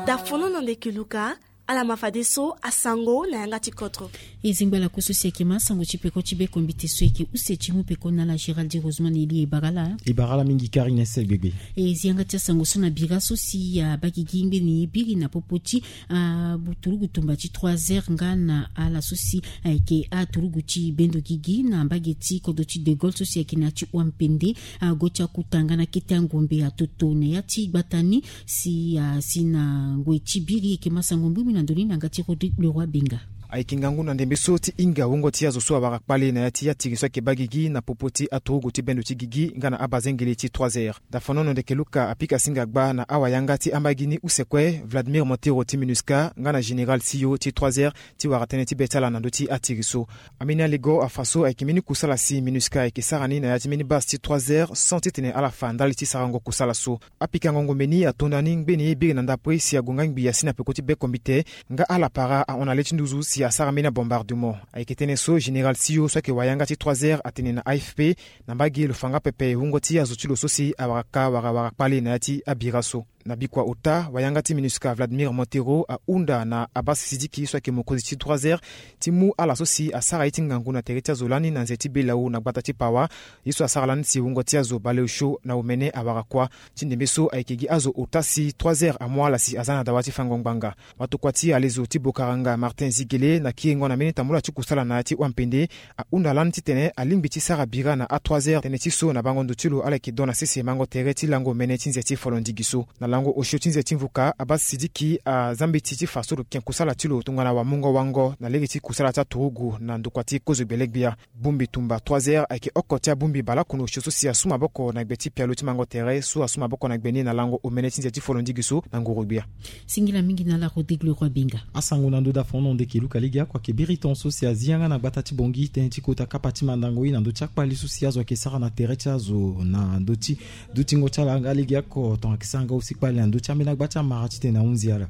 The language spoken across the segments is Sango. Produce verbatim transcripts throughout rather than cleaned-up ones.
Dafono na ndeke luka. Ala ma fadeso asango na yanga ti kodro. E zingba ala koso si ayeke ma asango ti peko ti bekombite so ayeke use ti mu peko na ala Gérald Rosemond Elie. E bara ala. E bara ala mingi Karine Sel Gbegbe. E zi yanga ti asango so na bira so si abagigi ngbeni biri na popo ti a buturugu tumba ti trois heures nga na ala so si ayeke aturugu ti bendo gigi na mbage ti kodro ti De Gaulle so si ayeke na ya ti Wampende. Ago ti akuta nga na kete angombe atoto na ya ti gbata ni si asi na ngoi ti biri. Ayeke ma sango mbumbi na ndoni na yanga ti Rodrigue Leroy Benga. Ayeke ngangu na ndembe so ti hinga wungo ti azo so awara kpale na ya ti atiri so ayeke baa gigi na popo ti aturugu ti bendo ti gigi nga na abazengele ti trois heures. Dafanono ndeke luka apika singa gba na awayanga ti ambagi ni use kue Vladimir Montero ti MINUSCA nga na général Sio ti trois heures ti wara tënë ti be ti ala na ndö ti atiri so. Ambeni alego afa so ayeke mbeni kusala si MINUSCA ayeke sara ni na ya ti mbeni base ti trois heures sans titene ala fa ndali ti sarango kusala so. Apikango ngombe ni ato nda ni ngbeni biri na ndapre si ague nga ngbi asi na peko ti bekombite nga ala para ahon na le ti nduzu si asara mbeni abombardement. Ayeke tënë so général Sio so ayeke wayanga ti trois heures atene na A F P na mbage lo fa nga pepe wungo ti azo ti lo so si awara ka wara wara kpale na ya ti abira so. Na bikua ota wayanga ti MINUSCA Vladimir Montero ahunda na Abbas Sidiki so ayeke mokonzi ti trois heures ti mu ala so si asara ye ti ngangu na tere ti azo lani na nze ti Belau na gbata ti Pawa. Ye so asara lani si wungo ti azo baleosio na omene awara kuâ. Ti ndembe so ayeke gi azo ota si trois heures amu ala si aza na dawa ti fango ngbanga. Watokua ti alezo ti Bokaranga Martin Zigele na kiringo na mbeni tambula ti kusala na ya ti Wampende ahunda lani titene alingbi ti sara bira na a trois heures tënë ti so na bango ndo ti lo ala yeke don na sese mango tere ti lango mene ti nze ti folondigi so. Na lango osio ti nze ti mvuka Abbas Sidiki aza mbeti ti fa so lo ken kusala ti lo tongana wamungo wango na lege ti kusala ti aturugu na ndokua ti kozo gbele-gbia. Bongbi tumba trois heures ayeke oko ti abongbi baleoko na osio so si asu maboko na gbe ti pialo ti mango tere so asu maboko na gbe ni na lango omene ti nze ti folondigi so na nguru-gbia. Singila mingi na ala Rodrigue Leroy Benga. Asango na ndö dafon na ndeke luka lege oko ayeke biri tongaso si azi yanga na gbata ti Bangui tënë ti kota kapa ti mandango ye na ndö ti akpale so si azo ayeke sara na tere ti azo na ndö ti dutingo ti ala nga lege oko tongana ayeke sara nga aussi kpale na ndö ti ambeni agba ti amara titene ahunzi ala.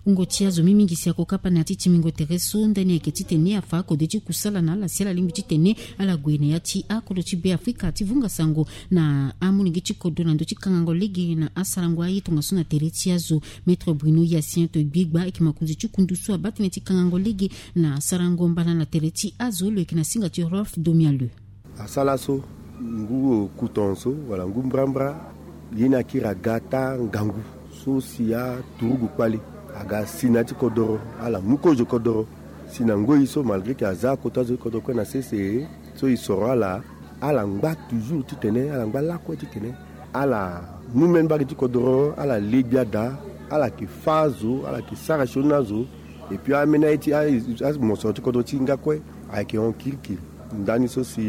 Wungo ti azo mingi si ako kapa na ya ti tingbingo tere so ndani ayeke titene afa akode ti kusala na ala si ala lingbi titene ala gue na ya ti akodro ti Beafrika ti vunga sango na amolenge ti kodro na ndö ti kangango lege na asarango aye tongaso na tere ti azo. Maître Bruno Hyacinthe Gbigba ayeke mokonzi ti kundu so abaa tënë ti kangango lege na sarango mbala na tere ti azo lo yeke na singa ti Rolf Domialeu. Asara so ngu oku tongaso wala ngu mbrambra ye ni akiri aga taa ngangu so si aturugu kpale aga si na ya ti kodoro ala mu kozo kodoro si na ngoi so malgré ke aza kota zo ti kodoro kue na sese so e soro ala ala ngba toujours titene ala ngba lakue titene ala mu mbeni mbage ti kodoro ala le gbia daa ala yeke fâ azo ala yeke sara sioni na azo. Et puis ambeni aye ti amosoro ti kodro ti hinga kue ayeke hon kirikiri. Ndani so si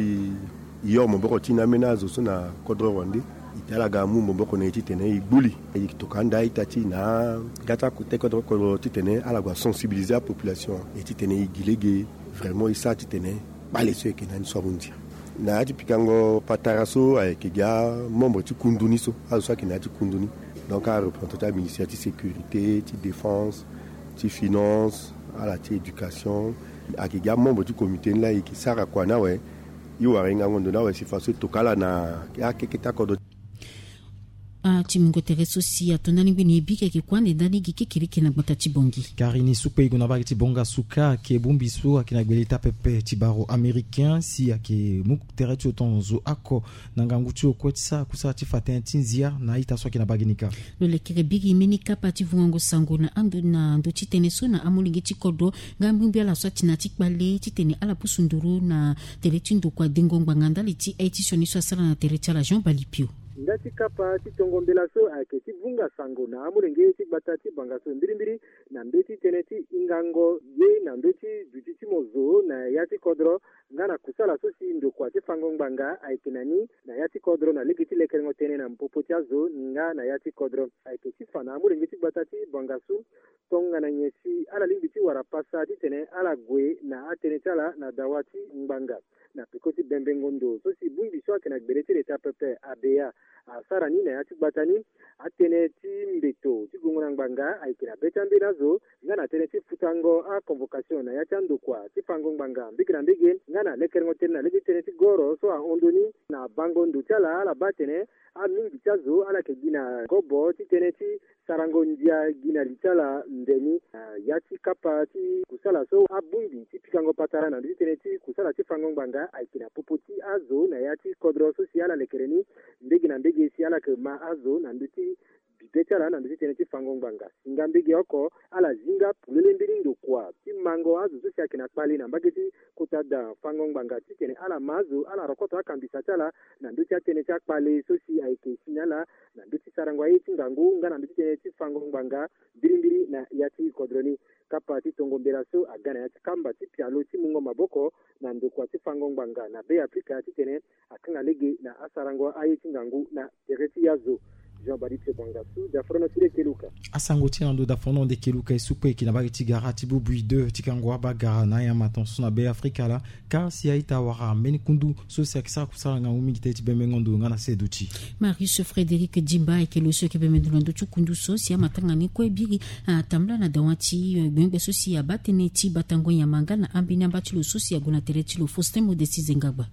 e hon maboko ti na ambeni azo so na kodro wande. E tene ala ga mu maboko na e titene e gbu li e tokua anda a-ita ti e na aga ti akota kodro kodro titene ala gue sensibiliser apopulation. E titene e gi lege vraiment e sara titene kpale so e yeke na ni so ahunzi. Na ya ti pikango patara so ayeke gi amembre ti kundu ni so azo so ayeke na ya ti kundu ni. Donc areprésentant ti aministère ti sécurité ti défense ti finance ala ti éducation ayeke gi amembre ti comité ni laa e yeke sara kua ni awe. E wara e ngango ndo ni awe si faso e toka ala na akeke ti akodro. Atingbingo tere so si ato ndani ngbene ye bika ayeke kue ande ndani gi kekereke na gbata ti Bangui. Kari ni sukpe e gue na mbage ti Bangui asuka ayeke bongbi so ayeke na gbele taa pepe ti baro américain si ayeke mu tere ti lo tongaso oko na ngangu ti lo kue ti sara kusala ti fa tënë ti nzia na a-ita so ayeke na mbage ni kâ. Lo lekere biri mbeni kapa ti vungango sango na ando na ndö ti tënë so na amolenge ti kodro nga mbirimbiri ala so ati na ya ti kpale titene ala pusu nduru na tere ti ndokua dengo ngbanga ndali ti aye ti sioni so asara na tere ti ala Jean Balipio. Nda ti kapa ti tongo mbela so ayeke ti vunga sango na amolenge ti gbata ti Bangui so mbirimbiri na mbeti tënë ti hingango ye na ndö ti duti ti mo zo na ya ti kodro nga na kusala so si ndokua ti fango ngbanga ayeke na ni na ya ti kodro na lege ti lekerengo tënë na popo ti azo nga na ya ti kodro. Ayeke ti fa na amolenge ti gbata ti Bangui so tongana nyen si ala lingbi ti wara pasa titene ala gue na atënë ti ala na dawa ti ngbanga. Na peko ti bembengo ndo so si bongbi so ayeke na gbele ti leta pepe ABA asara ni na ya ti gbata ni Atënë ti mbeto ti gongo na ngbanga ayeke na be ti ambeni azo nga na tënë ti futango aconvocation na ya ti andokua ti fango ngbanga mbege na mbege nga na lekerengo tënë na lege ti tënë ti goro so ahon ndoni na bango ndo ti ala. Ala baa atene amingi ti azo ala yeke gi na kobo ti tënë ti sarango ndia gi na li ti ala ndeni na ya ti kapa ti kusala so abongbi ti pikango patara na ndö ti tënë ti kusala ti fango ngbanga ayeke na popo ti azo na ya ti kodro so si ala lekere ni mbege na mbege si ala yeke ma azo na ndö ti bibe ti ala na ndö ti tënë ti fango ngbanga. Singa mbege oko ala zinga polele mbeni ndokua ti mango azo so si ayeke na kpale na mbage ti kota da fango ngbanga titene ala ma azo ala rokoto akambisa ti ala na ndö ti atënë ti akpale so si ayeke si na ala na ndö ti sarango aye ti ngangu nga na ndö ti tënë ti fango ngbanga mbirimbiri na ya ti kodro ni. Kapa ti tongo mbela so aga na ya ti kamba ti pialo ti mungo maboko na ndokua ti fango ngbanga na Be Afrika titene akanga lege na asarango aye ti ngangu na tere ti azo. Jean Baptiste Bongasu, Dafrono ti Lekeluka. Asango ti na ndo Dafrono Lekeluka e su kue eke na mbage ti gara ti bubu i deux ti kango abagara na anyama tongaso na Be Afrika laa. Ka si a-ita wara mbeni kundu so si ayeke sara kusala ngangu mingi tënë ti bembengo ndo nga na seduti. Marius Frédéric Dimba ayeke lo so ayeke bembe ndo na ndö ti kundu so si amatanga ni kue biri atambula na dawa ti gbengbe so si abaa tënë ti batango nyama nga na ambeni amba ti lo so si ague na tere ti lo Faustin Modesti Zengagba.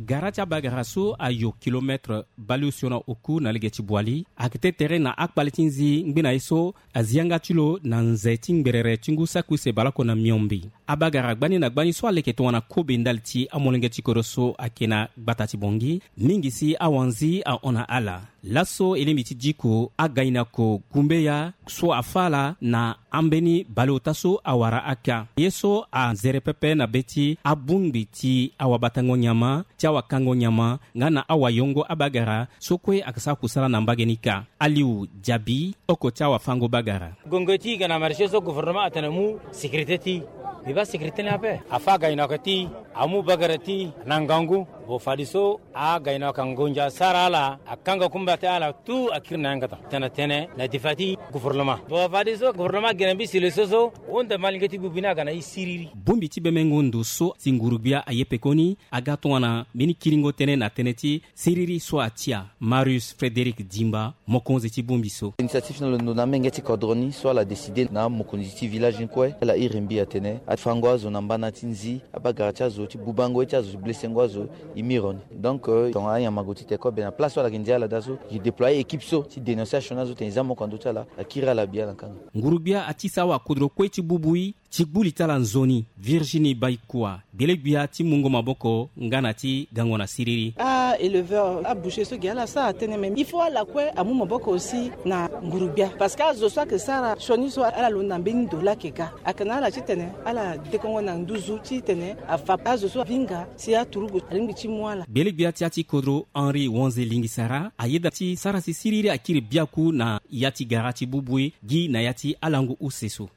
Gara ti abagara so ayo kilometre baleosio na oku na lege ti Boali ayeke tene tere na akpale ti nzi ngbene ye so azi yanga ti lo na nze ti ngberere ti ngu saki use baleoko na miombe. Abagara gbani na gbani so aleke tongana kobe ndali ti amolenge ti kodro so ayeke na gbata ti Bongi mingi si awanzi ahon na ala. Laso e lingbi ti diko againako gumbeya so afâ ala na ambeni baleota so awara aka ye so anzere pepe na be ti abongbi ti awabatango nyama ti awakango nyama nga na awayongo abagara so kue ayeke sara kusala na mbage ni kâ. Aliou Diaby, oko ti awafango bagara. Gongo ti i ga na marché so gouvernement atene amu sécurité ti i. Mbi baa sécurité ni ape. Afâ againako ti i, amu bagara ti i na ngangu. Bon, fadeso againako angonja asara ala, akanga kumba ti ala tout akiri na yanga tana tene tene na difa ti gouvernement. Bon, fadeso gouvernement agene mbi si le so so, honda malenge ti bubu ni aga na i siriri. Bongbi ti bembengo ndo so si nguru-gbia aye pekoni aga tongana mbeni kiringo tënë na tënë ti siriri so atia. Marius Frédéric Dimba, mokonzi ti bongbi so. Initiative na lo ndo na amenge ti kodro ni so ala décidé na amokonzi ti village ni kue, ala iri mbi atene afango azo na mbana ti nzi, abagara ti azo ti bubango ye ti azo ti blesengo azo i miro ni. Donc, euh, tongana anyama ague ti te kobe na place so ala yeke ndia ala daa so, e déployer équipe so ti dénonciation ni azo tene e za moko na ndö ti ala, akiri ala bia na kanga. Nguru-gbia ati sara wakodro kue ti bubu i ti gbu li ti ala nzoni. Virginie Baikua, gbele-gbia ti mungo maboko nga na ti gango na siriri. A éleveur, aboucher so gi ala sara tënë, mais il faut ala kue amu maboko aussi na nguru-gbia, parce que azo so ayeke sara sioni so ala londo na mbeni ndo laa ayeke ga, ayeke na ala titene ala dekongo na nduzu titene afa azo so avinga si aturugu alingbi ti mu ala. Gbele-gbia ti ya ti kodro Henri Wanze Lingisara ayeda ti sara si siriri akiri biaku na ya ti gara ti bubu e gi na ya ti alango use so.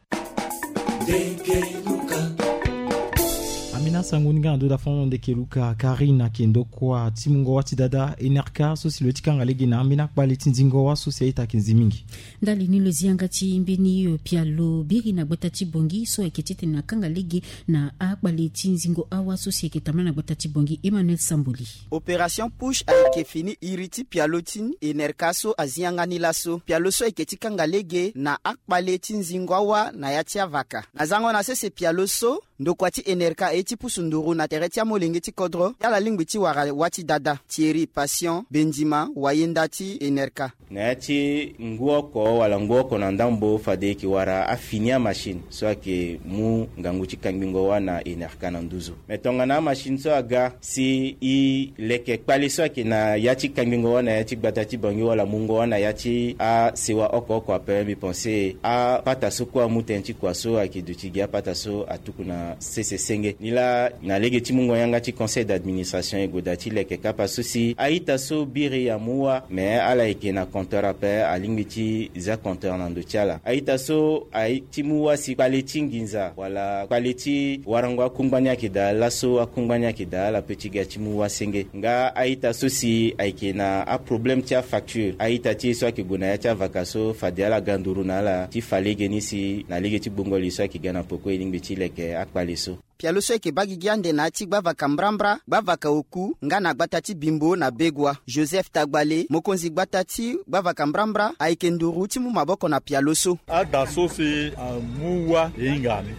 Ambeni asango ni nga na ndo da fano ndeke luka Karine ayeke ndokua ti mungo wâ ti dada Enerka so si lo ye ti kanga lege na ambeni akpale ti nzingo wâ so si a-ita ayeke nzi mingi. Ndali ni lo zi yanga ti mbeni pialo biri na gbata ti Bongi so ayeke titene akanga lege na akpale ti nzingo awâ so si ayeke tambula na gbata ti Bongi. Emmanuel Samboli. Opération push ayeke fini iri ti pialo ti Enerka so azi yanga ni laso. Pialo so ayeke ti kanga lege na akpale ti nzingo awâ na ya ti avaka. Na zango na sese pialo so, ndokua ti Enerka aye ti pusu nduru na tere ti amolenge ti kodro ti ala lingbi ti wara wâ ti dada. Thierry Patient Bendima, wayenda ti Enerka. Na ya ti ngu oko wala ngu oko na ndambo fade e yeke wara afini amachine so ayeke mu ngangu ti kangbingo wâ na Enerka na nduzu. Me tongana amachine so aga si e leke kpale so ayeke na ya ti kangbingo wâ na ya ti gbata ti Bangui wala mungo wâ na ya ti asewa oko oko ape, mbi pense apata so kue amu tënë ti kua so ayeke duti gi apata so atuku na sese senge. Nilaa na lege ti mungo yanga ti conseil d'administration e gue daa ti leke kapa so si a-ita so biri amu wâ, me ala yeke na compteur ape, alingbi ti za compteur na ndo ti ala. A-ita so aye ti mu wâ si kpale ti nginza wala kpale ti warango akungba ni ayeke daa laso, akungba ni ayeke daa, ala pe ti ga ti mu wâ senge. Nga a-ita so si ayeke na aproblème ti afacture, a-ita ti e so ayeke gue na ya ti avaka so, fade ala ga nduru na ala ti fa lege ni si na lege ti gbongo li so ayeke ga na peko e lingbi ti leke akpale so. Pialo so ayeke baa gigi ande na ya ti gbavaka mbrambra, gbavaka oku nga na gbata ti Bimbo na Begua. Joseph Tagbale, mokonzi gbata ti gbavaka mbrambra, ayeke nduru ti mu maboko na pialo so. Ada so si amu wâ e hinga ni.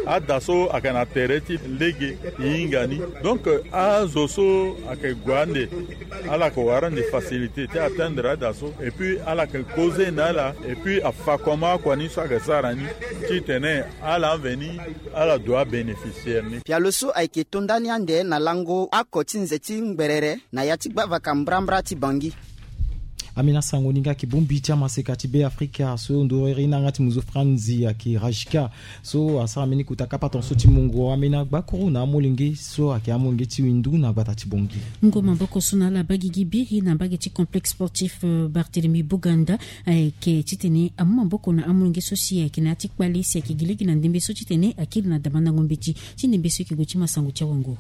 Ada so ayeke na tere ti lege e hinga ni. Donc azo so ayeke gue ande, ala yeke wara ande facilité ti atteindre ada so, et puis ala yeke causer na ala, et puis afa comment akua ni so ayeke sara ni, titene ala mveni ala doit bénéficier ni. Pialo so ayeke to ndani ande na lango oko ti nze ti ngberere na ya ti gbavaka mbrambra ti Bangui. Amina, sango ni nga yeke bongbi ti amaseka ti Beafrika so ndoro iri na yanga ti muzu Franzi ayeke Rajka, so asara mbeni kota kapa tongaso ti mungo amena gbakuru na amolenge so ayeke amolenge ti windu na gbata ti Bangui. Mungo maboko so na ala baa gigi biri na mbage ti complexe sportif, euh, Barthélemy Boganda, ayeke titene amu maboko na amolenge so si ayeke na ya ti kpale si ayeke gi lege na ndembe so titene akiri na damandango mbeti ti ndembe so eke gue ti masango ti awanguru.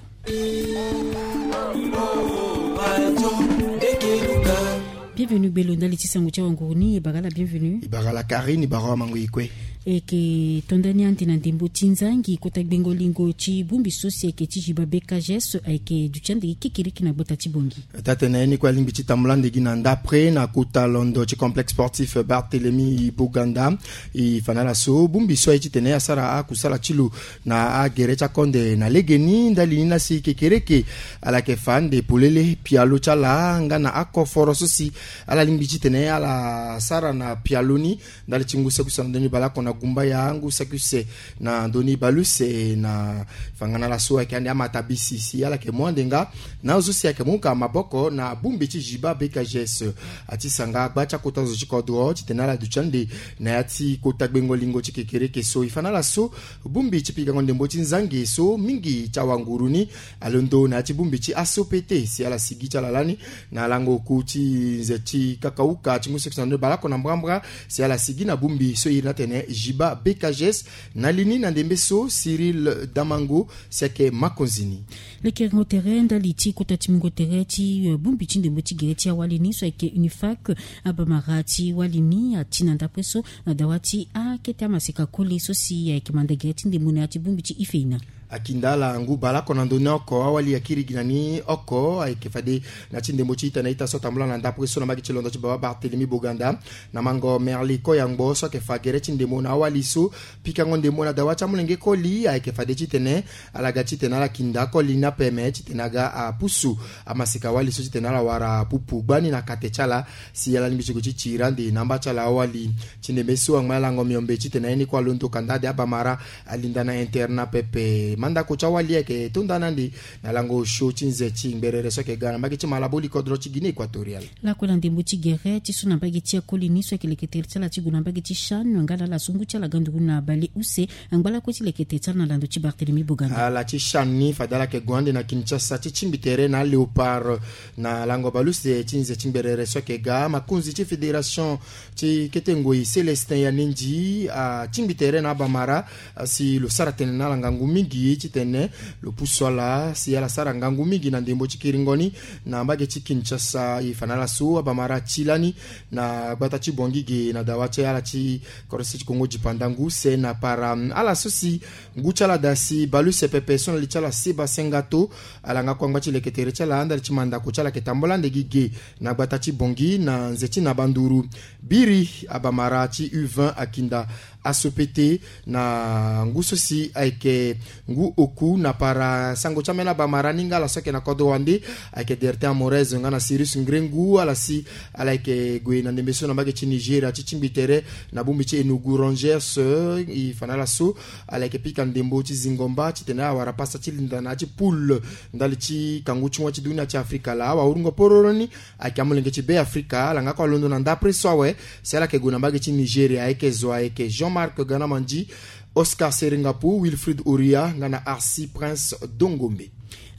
Bienvenu gbelo ndali ti sango ti awanguru ni, e bara ala bienvenu. E bara ala Karine, e bara awamango e kue. Eke to ndani ande na ndembo ti nzangi kota gbengo lingo ti bongbi so si ayeke ti Jiba B K G S ayeke duti ande gi kekereke na gbata ti Bangui. Taa-tene ni kue alingbi ti tambula ande gi na ndapre na kota londo ti complexe sportif Barthélemy Boganda. E fa na ala so bongbi so aye titene asara akusala ti lo na agere ti akonde na legeni ndali ni na si kekereke ala yeke fa ande polele pialo ti ala nga na akoforo so si ala lingbi titene ala sara na pialo ni ndali ti ngu saki use na ndoni baleoko na gumbaya, ngu saki use na ndoni baleuse na fangana laso ayeke ande amatabisi si ala yeke mu ande nga na azo si ayeke mu ka maboko na bongbi ti Jiba B K G S. Atisa nga agba ti akota zo ti kodro titene ala duti ande na ya ti kota gbengo lingo ti kekereke so. E fa na ala so bongbi ti pikango ndembo ti nzangi so mingi ti awanguru ni alondo na ya ti bongbi ti A S O P T si ala sigi ti ala lani na lango oku ti nze ti kakauka ti ngu saki use na ndoni baleoko na mbrambra si ala sigi na bongbi so e iri ni atene Jiba B K G S. Na li ni na ndembe so Cyril Damango si ayeke makonzi ni. Lekerengo tere ndali ti kota ti mungo tere ti, eh, bongbi ti ndembo ti gere ti awali ni so ayeke Unifac, abamara ti wali ni ati na ndapre so na dawa ti akete amaseka koli so si ayeke manda gere ti ndembo na ya ti bongbi ti Ifeina. Akinda ala ngu baleoko na ndoni oko awali akiri gi na ni oko ayeke fade na ya ti ndembo ti ita na ita so atambula na ndapre so na mbage ti londo ti baba Barthélemy Boganda na mango Merly Koyangbo so ayeke fa gere ti ndembo na awali so. Pikango ndembo na dawa ti amolenge koli ayeke fade titene ala ga titene ala kinda akoli ni ape me titene aga apusu amaseka wali so titene ala wara pupu gbani na kate ti ala si ala lingbi ti gue ti tiri ande na amba ti ala awali. Ti ndembe so angba na lango miombe titene aye ni kue alondo kanda ade abamara alinda na internat pepe. Mandako ti awali ayeke to nda na ande na lango osio ti nze ti ngberere so ayeke ga na mbage ti Malabo, likodro ti Guinée Équatoriale. Lakue na ndembo ti gere ti so na mbage ti akoli ni so ayeke leke tere ti ala ti gue na mbage ti CHAN nga na ala so ngu ti ala ga nduru na baleuse angba lakue ti leke tere ti ala na lando ti Barthélemy Boganda. Ala ti CHAN ni fade ala yeke gue ande na Kinshasa ti tingbi tere na aLéopard na lango baleuse ti nze ti ngberere so ayeke ga. Makonzi ti fédération ti kete ngoi Célestin Yanendi atingbi tere na abamara si lo sara tënë na ala ngangu mingi titene lo pusu ala si ala sara ngangu mingi na ndembo ti kiringo ni na mbage ti Kinshasa. E fa na ala so abamara ti lani na gbata ti Bangui ge na dawa ti ala ti korose ti Kongo dipandangu se na para ala so si ngu ti ala daa si baleuse pepe so na li ti ala Seba Sengato. Ala nga kue angba ti leke tere ti ala ndali ti mandako ti ala ayeke tambula ande gi ge na gbata ti Bangui na nze ti na banduru. Biri abamara ti U vingt akinda A S O P T na ngu so si ayeke ngu oku na para sango ti ambeni abamara ni nga ala so ayeke na kodro wande ayeke Dertin Amorez nga na Cyrus Ngrengu, ala si ala yeke gue na ndembe so na mbage ti Nigeria ti tingbi tere na bongbi ti Enugu Rangers. E fa na ala so ala yeke pika ndembo ti zingo mba titene ala wara pasa ti linda na ya ti poule ndali ti kangu ti ngoi ti dunia ti Afrika laa. Awahurungo pororo ni ayeke amolenge ti Beafrika, ala nga kue alondo na ndapre so awe si ala yeke gue na mbage ti Nigeria. Ayeke zo ayeke Jean-Marc Ganamandi, Oscar Seringapu, Wilfried Oria nga na Arcy Prince Dongombe.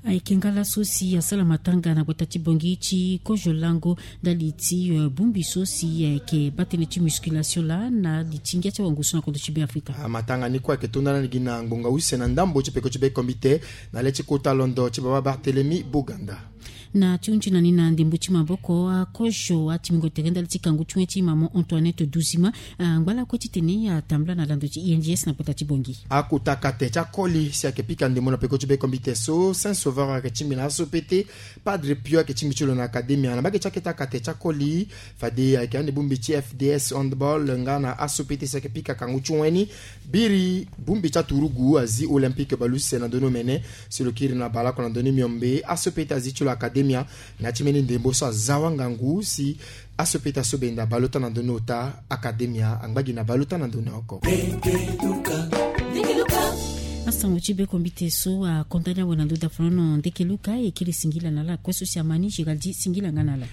Ayeke nga laso si asara matanga na gbata ti Bangui ti kozo lango ndali ti, eh, bongbi so si ayeke baa tënë ti musculation laa na li ti ngia ti awango so na kodro ti Beafrika. Amatanga ni kue ayeke to nda na ni gi na ngbonga use na ndambo ti peko ti be komite na le ti kota londo ti baba Barthélemy Boganda. Na ti hunzi na ni na ndembo ti maboko akozo atimingo tere ndali ti kangu ti wen ti mamo Antoinette Duzima, angba lakue titene atambula na lando ti I N G S na kota ti Bongi. Akota kate ti akoli si ayeke pika ndembo na peko ti bekombite so Saint Sauveur ayeke tingbi na aso pete. Padre Pio ayeke tingbi ti lo na akademia na mbage ti akete akate ti akoli. Fade ayeke ande bongbi ti F D S handball nga na aso pete si ayeke pika kangu ti wen ni. Biri bongbi ti aturugu azi Olympique baleuse na ndoni omene. Si lo kiri na baleoko na ndoni miombe aso pete azi ti lo akademia. Na ti mbeni ndembo so aza wangangu si aso pete aso benda baleota na ndoni ota akademia angba gi na baleota na ndoni oko. Asango ti bekombite so akonda ni awe na ndo dafolono ndeke luka e kiri singila na ala kue so si ama ni Géraldi singila nga na ala.